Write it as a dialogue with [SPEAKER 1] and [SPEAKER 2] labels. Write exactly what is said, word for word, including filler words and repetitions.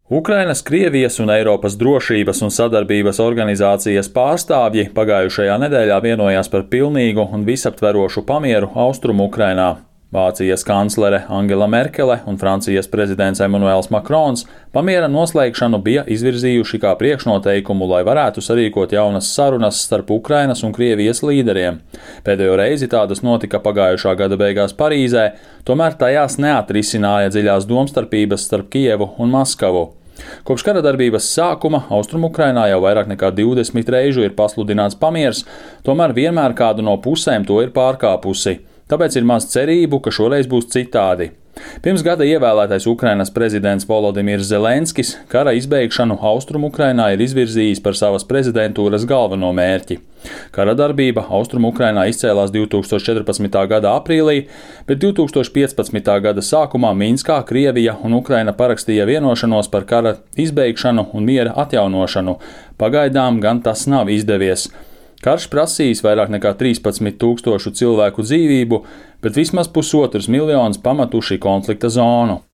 [SPEAKER 1] Ukrainas, Krievijas un Eiropas drošības un sadarbības organizācijas pārstāvji pagājušajā nedēļā vienojās par pilnīgu un visaptverošu pamieru Austrumu Ukrainā. Vācijas kanclere Angela Merkele un Francijas prezidents Emmanuels Macrons pamiera noslēgšanu bija izvirzījuši kā priekšnoteikumu, lai varētu sarīkot jaunas sarunas starp Ukrainas un Krievijas līderiem. Pēdējo reizi tādas notika pagājušā gada beigās Parīzē, tomēr tajās neatrisināja dziļās domstarpības starp Kijevu un Maskavu. Kopš kara darbības sākuma Austrumukrainā jau vairāk nekā divdesmit reižu ir pasludināts pamiers, tomēr vienmēr kādu no pusēm to ir pārkāpusi. Tāpēc ir maz cerību, ka šoreiz būs citādi. Pirms gada ievēlētais Ukrainas prezidents Volodimirs Zelenskis kara izbeigšanu Austrumukrainā ir izvirzījis par savas prezidentūras galveno mērķi. Kara darbība Austrumukrainā izcēlās divi tūkstoši četrpadsmitā gada aprīlī, bet divi tūkstoši piecpadsmitā gada sākumā Minskā Krievija un Ukraina parakstīja vienošanos par kara izbeigšanu un miera atjaunošanu. Pagaidām gan tas nav izdevies. Karš prasījis vairāk nekā trīspadsmit tūkstošu cilvēku dzīvību, bet vismaz pusotrs miljonus pametuši konflikta zonu.